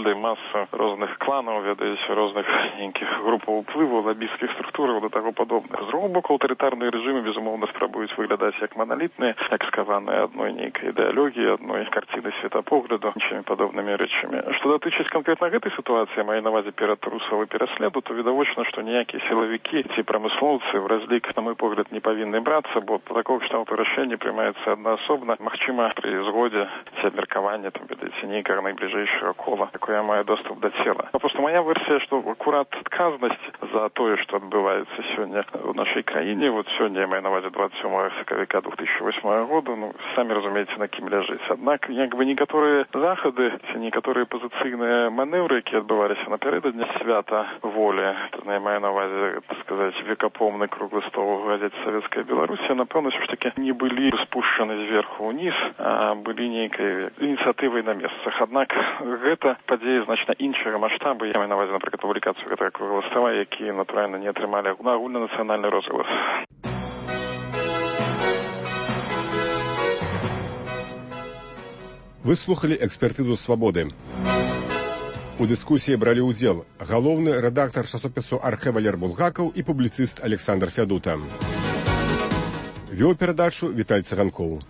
цэлай маса розных кланаў, ведаеце, розных нейкіх групаў уплыву, лабісцкіх структураў да таго падобных. З другого боку, аўтарытарныя рэжымы, безумоўна, спрабуюць выглядаць як маналітныя, як скаваныя адной нейкай ідэалогіі, адной карціны светапогляду, іншымі падобнымі рэчамі. Што датычыць канкрэтна гэтай сітуацыі, маю на ўвазе ператрусаў і пераследу, то відавочна, што ніякія сілавікі ці прамыслоўцы в разлік, на мой погляд, не павінны брацца, бо па такого кшталту рашэнне прымаецца аднаасобна, магчыма, пры згодзе ці абмеркаванне, там, ведаеце, нейкага найбліжэйшага кола, якое мае доступ да цела. А просто моя версія, што акурат адказнасць за тое, што адбываецца сёння ў нашай краіне, вот сёння я маю на ўвазе 27 сакавіка 2008 года, ну, самі разумееце, на кім ляжыць. Аднак, як бы некаторыя захады ці некаторыя пазіцыйныя манеўры, якія адбываліся напярэдадні свята волі, я маю на ўвазе, так сказаць, векапомны круглы стол у газеце «Советская Беларусь», напэўна, ўсё ж такі не былі спушчаны зверху ўніз, а былі нейкай ініцыятывай на месцах. Аднак гэта падзеі значна іншага маштабу. Я маю на ўвазе, напрыклад, публікацыю гэтага круглага стола, якія, натуральна, не атрымалі агульнанацыянальны розгалас. Вы слухали экспертызу «Свабоды». У дыскусіі бралі ўдзел галоўны рэдактар часопісу «Архэ» Валер Булгакаў і публіцыст Александр Фядута. Вёў перадачу Віталь Цыганкоў.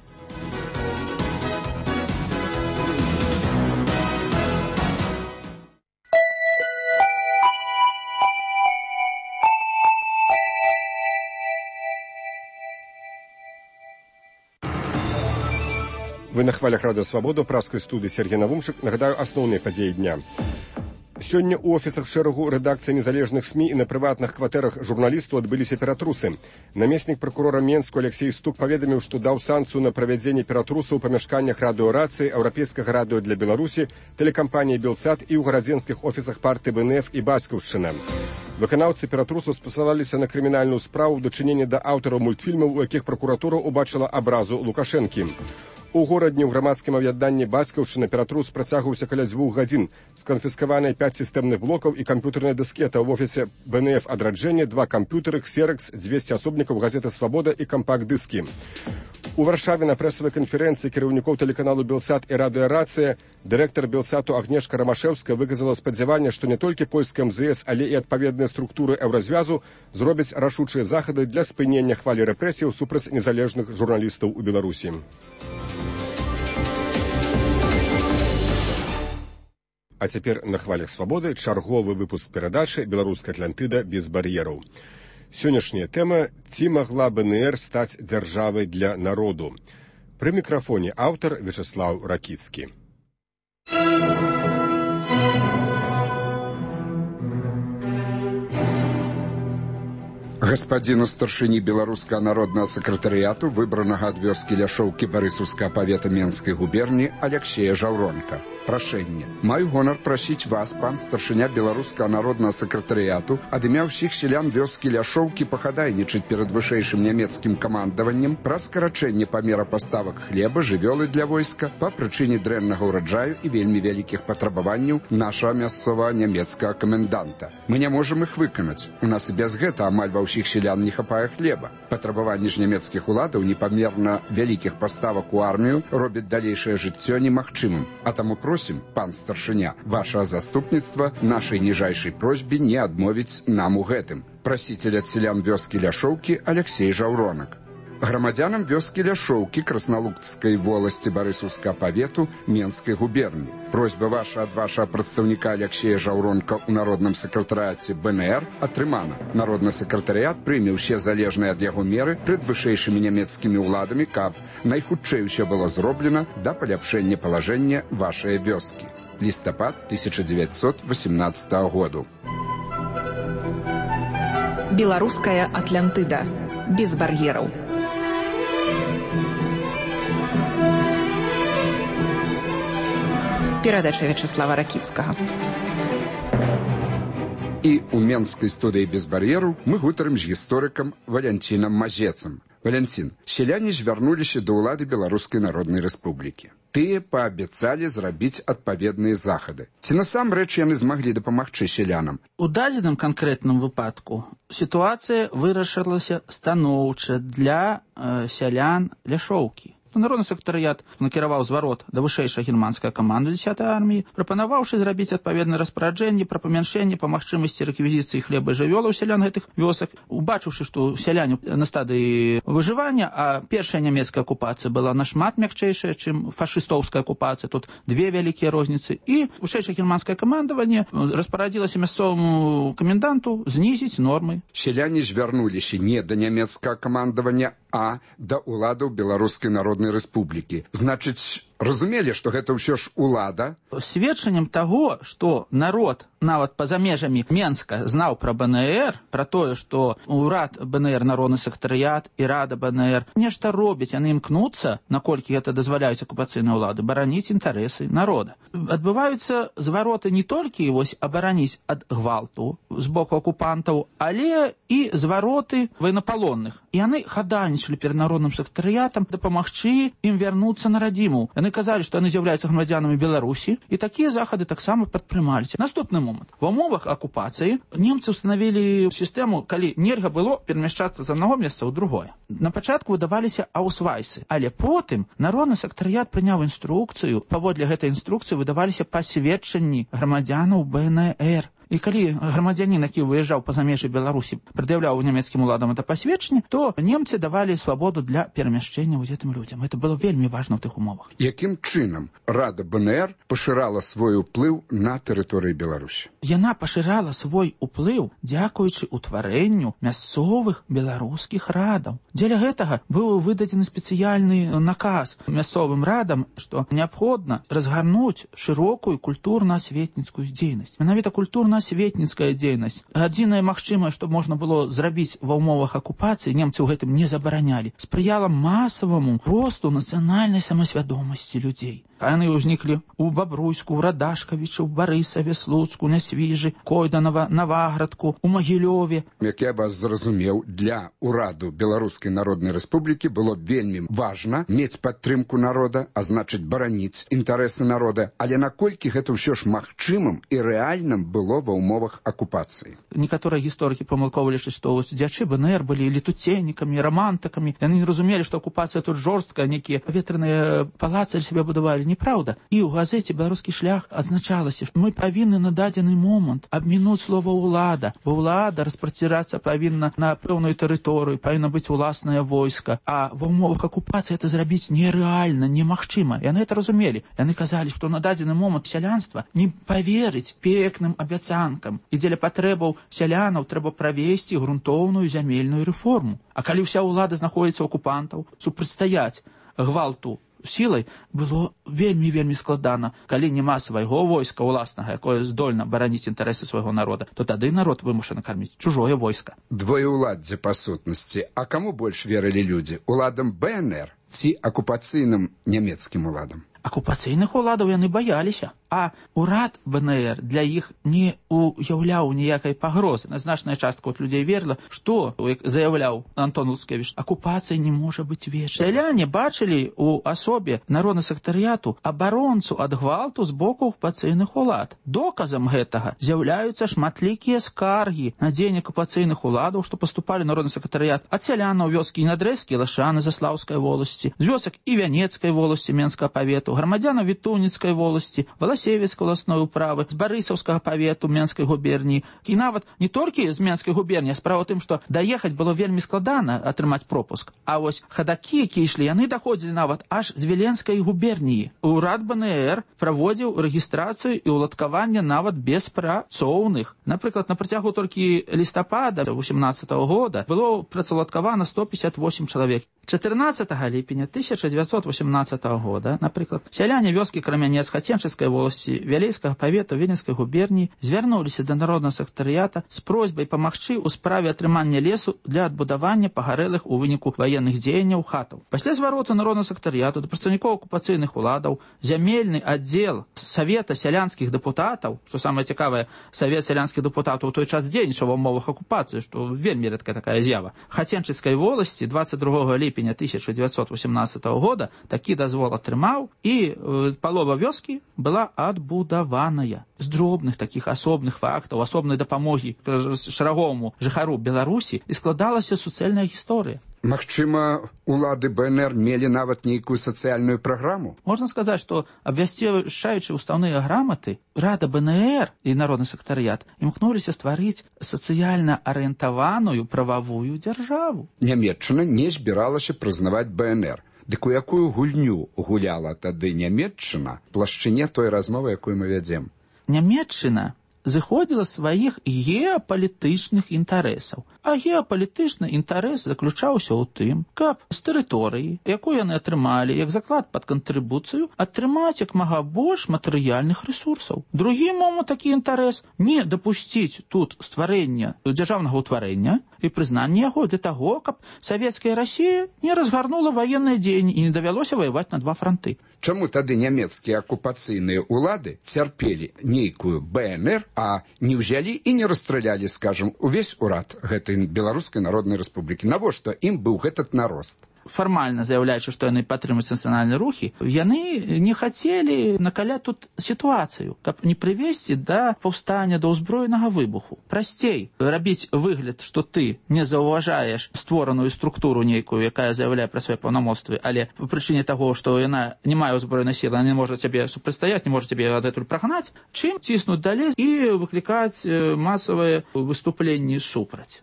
Вы на хвалях Радыё Свабода, праскай студыі Сергей Навумчык. Нагадаю асноўныя падзеі дня. Сёння ў офісах шэрагу рэдакцый незалежных СМІ і на прыватных кватэрах журналістаў адбыліся ператрусы. Намеснік пракурора Менску Алексей Стук паведаміў, што даў санкцыю на правядзенне ператрусаў у памяшканнях радыёрацыі, Еўрапейскага радыё для Беларусі, тэлекампаніі «Белсат» і ў гарадзенскіх офісах партыі БНФ і Бацькаўшчына. Выканаўцы ператрусаў спасылаліся на крымінальную справу ў дачыненні да аўтараў мультфільмаў, у якіх пракуратура ўбачыла абразу Лукашэнкі. У горадні ў грамадскім аб'яднанні Бацькаўшчына ператрус працягваўся каля 2 гадзін. Сканфіскаваныя 5 сістэмных блокаў і камп'ютэрная дыскета ў офісе БНФ «Адраджэнне», 2 камп'ютары, ксеракс, 200 асобнікаў газеты «Свабода» і кампакт-дыскі. У Варшаве на прэсавай канферэнцыі кіраўнікоў тэлеканалу «Белсат» і радыёрацыя дырэктар «Белсату» Агнешка Рамашэўская выказала спадзяванне, што не толькі польская МЗС, але і адпаведныя структуры еўразвязу зробяць рашучыя захады для спынення хвалі рэпрэсіяў супраць незалежных журналістаў у Беларусі. А цяпер на хвалях Свабоды чарговы выпуск перадачы «Беларуская Атлантыда без бар'ераў». Сённяшняя тэма «Ці магла БНР стаць дзяржавай для народу?». Пры мікрафоне аўтар Вячеслаў Ракіцкі. Гаспадзіну старшыні беларускага народнага сакратарыяту, выбранага ад вёскі Ляшоўкі Барысаўскага павета Менскай губерні Алексея Жаўронка. Прашэнне. Маю гонар прасіць вас, пан старшыня беларускага народнага сакратарыяту, ад імя ўсіх сялян вёскі Ляшоўкі пахадайнічаць перад вышэйшым нямецкім камандаваннем пра скарачэнне памера паставак хлеба, жывёлы для войска па прычыне дрэннага ўраджаю і вельмі вялікіх патрабаванняў нашага мясцовага нямецкага каменданта. Мы не можам іх выканаць. У нас і без гэта амаль ва ўсіх сялян не хапае хлеба. Патрабаванні ж нямецкіх уладаў непамерна вялікіх паставак у армію робяць далейшае жыццё немагчымым. А таму просім, пан старшыня, вашага заступніцтва нашай ніжайшай просьбе не адмовіць нам у гэтым. Прасіцель ад сялян вёскі Ляшоўкі Алексей Жаўронак. Грамадзянам вёскі Ляшоўкі Красналуцкай воласці Барысаўскага павету Менскай губерні. Просьба ваша ад вашага прадстаўніка Алексея Жаўронка ў народным сакратарыяце БНР атрымана. Народны сакратарыят прыме ўсе залежныя ад яго меры пред вышэйшымі нямецкімі ўладамі, каб найхутчэй усё было зроблена да паляпшэння палажэння вашай вёскі. Лістапад 1918 году. Беларуская Атлантыда. Без бар'ераў. Перадача Вячеслава Ракіцкага. І ў менскай студыі без бар'еру мы гутарым з гісторыкам Валянцінам Мазецам. Валянцін, сяляне звярнуліся да ўлады Беларускай Народнай Рэспублікі. Тыя паабяцалі зрабіць адпаведныя захады. Ці насамрэч яны змаглі дапамагчы сялянам? У дадзеным канкрэтным выпадку сітуацыя вырашылася станоўча для сялян Ляшоўкі. то народны сакратарыят накіраваў зварот да вышэйшай германскай каманды 10-й арміі, прапанаваўшы зрабіць адпаведнае распараджэнне пра памяншэнне па магчымасці рэквізіцыі хлеба і жывёлаў сялян гэтых вёсак. Убачыўшы, што сяляне на стадыі выжывання, а першая нямецкая акупацыя была нашмат мякчэйшая, чым фашыстоўская акупацыя, тут две вялікія розніцы, і вышэйшае германскае камандаванне распарадзілася мясцоваму каменданту знізіць нормы. Сяляне звярнуліся не да нямецкага камандавання, а да ўладаў Беларускай Народнай Рэспублікі. Значыць, разумелі, што гэта ўсё ж улада? Сведчаннем таго, што народ нават па-за межамі Менска знаў пра БНР, пра тое, што ўрад БНР, народны сакратарыят і рада БНР нешта робяць, яны імкнуцца, наколькі гэта дазваляюць акупацыйныя ўлады, бараніць інтарэсы народа. Адбываюцца звароты не толькі абараніць ад гвалту з боку акупантаў, але і звароты ваенапалонных. І яны хадайнічалі перад народным сакратарыятам дапамагчы ім вярнуцца на радзіму. Яны казалі, што яны з'яўляюцца грамадзянамі Беларусі, і такія захады таксама падтрымаліся. Наступны момант. Ва ўмовах акупацыі немцы ўстанавілі сістэму, калі нельга было перамяшчацца з аднаго месца ў другое. На пачатку выдаваліся аўсвайсы, але потым народны сакратарыят прыняў інструкцыю, паводле гэтай інструкцыі выдаваліся пасведчанні грамадзянаў БНР. І калі грамадзянін, які выязджаў па-за межы Беларусі, прад'яўляў нямецкім уладам это пасведчанне, то немцы давалі свабоду для перамяшчэння гэтым людзям. Это было вельмі важна ў тых умовах. Якім чынам рада БНР пашырала свой уплыў на тэрыторыі Беларусі? Яна пашырала свой уплыў дзякуючы ўтварэнню мясцовых беларускіх радаў. Дзеля гэтага быў выдадзены спецыяльны наказ мясцовым радам, што неабходна разгарнуць шырокую культурна-асветніцкую дзейнасць. Менавіта культурна-асветніцкая дзейнасць. Адзінае магчымае, што можна было зрабіць ва ўмовах акупацыі, немцы ў гэтым не забаранялі, спрыяла масаваму росту нацыянальнай самасвядомасці людзей. Яны ўзніклі ў Бабруйску, ў Радашкавічы, ў Барысаве, Слуцку, Нясвіжы, Койданова, Наваградку, у Магілёве. Як я вас зразумеў, для ўраду Беларускай Народнай Рэспублікі было вельмі важна мець падтрымку народа, а значыць бараніць інтарэсы народа. Але наколькі гэта ўсё ж магчымым і рэальным было ва ўмовах акупацыі? Некаторыя гісторыкі памылкова лічаць, што дзячы БНР былі летуценнікамі, рамантыкамі. Яны не разумелі, што акупацыя тут жорсткая, нейкія паветраныя палацы сябе будавалі. Неправда. І ў газеце «Беларускі шлях» адзначалася, што мы павінны на дадзены момант абмінуць слова «улада», бо ўлада распрацірацца павінна на пэўную тэрыторыю, павінна быць уласнае войска, а ва ўмовах акупацыі это зрабіць нерэальна, немагчыма. Яны это разумелі. Яны казалі, што на дадзены момант сялянства не паверыць пекным абяцанкам, і дзеля патрэбаў сялянаў трэба правесці грунтоўную зямельную рэформу. А калі ўся ўлада знаходзіцца ў акупантаў, супрацьстаяць гвалту сілай было вельмі складана. Калі няма свайго войска ўласнага, якое здольна бараніць інтарэсы свайго народа, то тады народ вымушаны карміць чужое войска. Двоеўладдзе па сутнасці. А каму больш верылі людзі? Уладам БНР ці акупацыйным нямецкім уладам? Акупацыйных уладаў яны баяліся, а ўрад БНР для іх не уяўляў ніякай пагрозы. Значная частка от людзей верыла, што, як заяўляў Антон Луцкевіч, акупацыя не можа быць вечнай. Сяляне бачылі ў асобе народнага сакратарыяту абаронцу ад гвалту з боку акупацыйных улад. Доказам гэтага з'яўляюцца шматлікія скаргі на дзеянні акупацыйных уладаў, што паступалі народны сакратарыят ад сялянаў вёскі Інадрэзкі, Лашаны, Заслаўскай воласці, з вёсак і Вянецкай воласці Менскага павету, грамадзянаў Вітуніцкай воласці, Валасевіцкай уласной управы, з Барысаўскага павету Менскай губерніі. І нават не толькі з Менскай губерніі, а справа ў тым, што даехаць было вельмі складана атрымаць пропуск. А вось хадакі, якія ішлі, яны даходзілі нават аж з Віленскай губерніі. Урад БНР праводзіў рэгістрацыю і ўладкаванне нават беспрацоўных. Напрыклад, на працягу толькі лістапада 2018 года было працаўладкавана 158 чалавек. 14 ліпеня 1918 года, напрыклад, сяляне вёскі Крамянец Хаценчыцкай воласці Вялейскага павету Віленскай губерніі звярнуліся да народнага сакратарыята з просьбай памагчы ў справе атрымання лесу для адбудавання пагарэлых у выніку ваенных дзеянняў хатаў. Пасля звароту народнага сакратарыяту да прадстаўнікоў акупацыйных уладаў зямельны аддзел Савета сялянскіх дэпутатаў, што самае цікавае, Савет сялянскіх дэпутатаў у той час дзейнічаў ва ўмовах акупацыі, што вельмі рэдкая такая з'ява. Хаценчыцкай воласці 22 ліпеня 1918 года такі дазвол атрымаў, і палова вёскі была адбудаваная. З дробных такіх асобных фактаў, асобнай дапамогі шараговаму жыхару Беларусі і складалася суцэльная гісторыя. Магчыма, улады БНР мелі нават нейкую сацыяльную праграму? Можна сказаць, што абвясцяючы ўставныя граматы, Рада БНР і народны сектарыят імкнуліся стварыць сацыяльна арыентаваную прававую дзяржаву. Нямецчына не збіралася прызнаваць БНР. Дык у якую гульню гуляла тады Нямецчына в плашчыне той размовы, якую мы вядзем? Нямецчына зыходзіла сваіх геапалітычных інтарэсаў. А геапалітычны інтарэс заключаўся ў тым, каб з тэрыторыі, якую яны атрымалі як заклад пад кантрыбуцыю, атрымаць як мага больш матэрыяльных рэсурсаў. Другі момант такі інтарэс не дапусціць тут стварэння дзяржаўнага ўтварэння і прызнання яго для таго, каб савецкая Расія не разгарнула ваенныя дзеянні і не давялося ваяваць на два франты. Чаму тады нямецкія акупацыйныя ўлады цярпелі нейкую БНР, а не ўзялі і не расстралялі, скажам, увесь урад гэтай Беларускай Народнай Рэспублікі? Навошта ім быў гэтак нарост? Фармальна заяўляючы, што яны падтрымуюць нацыянальныя рухі, яны не хацелі накаляць тут сітуацыю, каб не прывесці да паўстання, да ўзброенага выбуху. Прасцей рабіць выгляд, што ты не заўважаеш створаную структуру нейкую, якая заяўляе пра свае паўнамоцтвы, але па прычыне таго, што яна не мае ўзброенай сілы, она не можа цябе супрацьстаяць, не можа цябе адтуль прагнаць, чым ціснуць далей і выклікаць масавыя выступленні супраць.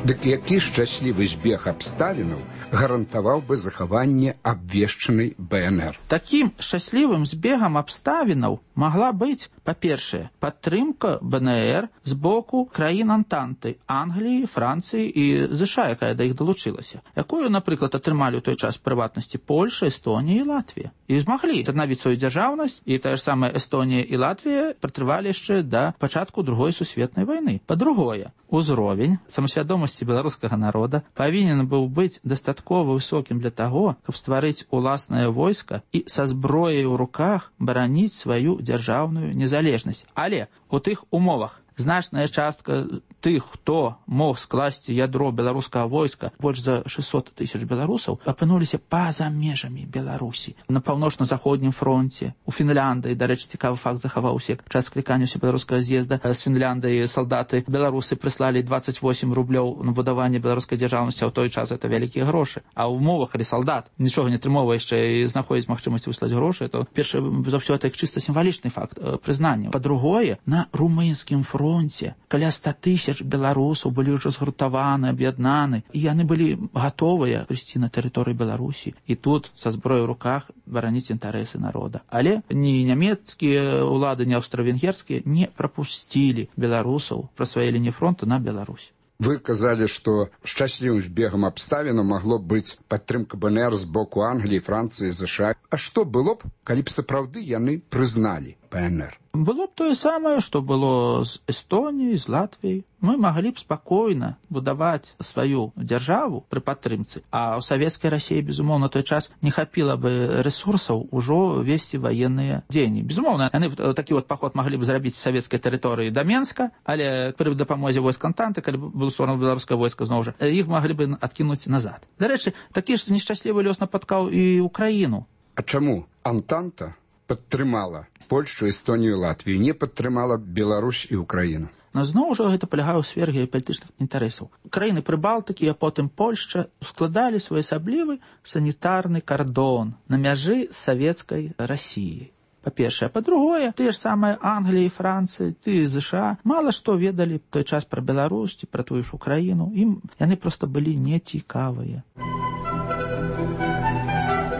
Дык які шчаслівы збег абставінаў гарантаваў бы захаванне абвешчанай БНР? Такім шчаслівым збегам абставінаў магла быць, па-першае, падтрымка БНР з боку краін Антанты, Англіі, Францыі і ЗША, якая да іх далучылася, якую, напрыклад, атрымалі ў той час прыватнасці Польша, Эстонія і Латвія. І змаглі аднавіць сваю дзяржаўнасць, і тая ж самая Эстонія і Латвія пратрывалі яшчэ да пачатку Другой сусветнай вайны. Па-другое, узровень самасвядомасці беларускага народа павінен быў быць дастаткова высокім для таго, каб стварыць уласнае войска і са зброяй у руках бараніць сваю дзяржаўную незалежнасць. Але у тых умовах значная частка тых, хто мог скласці ядро беларускага войска, больш за 600 тысяч беларусаў, апынуліся па-за межамі Беларусі. На паўночна-заходнім фронте, у Фінляндыі, дарэчы, цікавы факт захаваўся, час склікання беларускага з'езда з Фінляндыі салдаты беларусы прыслалі 28 рублёў на будаванне беларускай дзяржаўнасці, а ў той час это вялікія грошы. А ў умовах, калі салдат нічога не атрымоўвае яшчэ і знаходзіць магчымасць выслаць грошы, то першы за ўсё это чыста сімвалічны факт прызнання. Па-другое, на румынскім фронте каля 100 тысяч беларусаў былі ўжо згуртаваны, аб'яднаны, і яны былі гатовыя прыйсці на тэрыторыю Беларусі і тут са зброяй у руках бараніць інтарэсы народа. Але ні нямецкія ўлады, ні аўстра-венгерскія не прапусцілі беларусаў праз свае лініі фронту на Беларусь. Вы казалі, што шчаслівым збегам абставінаў магло быць падтрымка БНР з боку Англіі, Францыі, ЗША. А што было б, калі б сапраўды яны прызналі БНР? Было б тое самае, што было з Эстоніяй, з Латвіяй. Мы маглі б спакойна будаваць сваю дзяржаву пры падтрымцы, а ў савецкай Расіі, безумоўна, той час не хапіла бы рэсурсаў ужо весці ваенныя дзеянні. Безумоўна, яны такі паход маглі б зрабіць з савецкай тэрыторыі да Менска, але пры дапамозе войск Антанты, калі б было створана беларускае войска, зноў жа, іх маглі бы адкінуць назад. Дарэчы, такі ж нешчаслівы лёс напаткаў і Украіну. А чаму Антанта падтрымала Польшчу, Эстонію, Латвію, не падтрымала Беларусь і Украіну? Но зноў жа гэта палягае ў сферы геапалітычных інтарэсаў. Краіны Прыбалтыкі, а потым Польшча складалі своеасаблівы санітарны кардон на мяжы савецкай Расіі. Па-першае. Па-другое, тыя ж самыя Англія, Францыя, тыя ЗША мала што ведалі той час пра Беларусь, пра тую ж Украіну. Ім яны проста былі нецікавыя.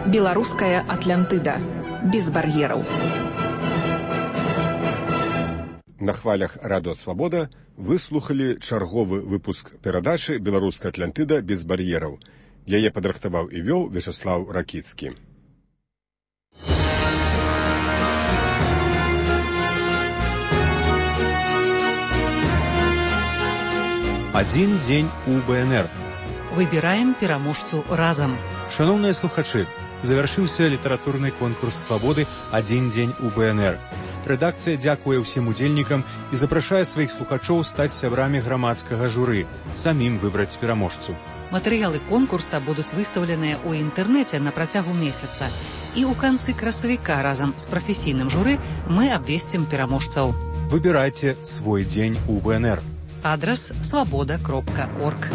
Беларуская Атлантыда. Без бар'ераў. На хвалях Радыё Свабода вы слухалі чарговы выпуск перадачы «Беларуская Атлантыда без бар'ераў». Яе падрыхтаваў і вёў Вячаслаў Ракіцкі. Адзін дзень у БНР. Выбіраем пераможцу разам. Шановныя слухачы, завяршыўся літаратурны конкурс свабоды «Адзін дзень у БНР». Рэдакцыя дзякуе ўсім удзельнікам і запрашае сваіх слухачоў стаць сябрамі грамадскага журы, самім выбраць пераможцу. Матэрыялы конкурса будуць выстаўленыя ў інтэрнэце на працягу месяца. І ў канцы красавіка разам з прафесійным журы мы абвесцім пераможцаў. Выбирайте свой день у БНР. Адрес свобода.орг.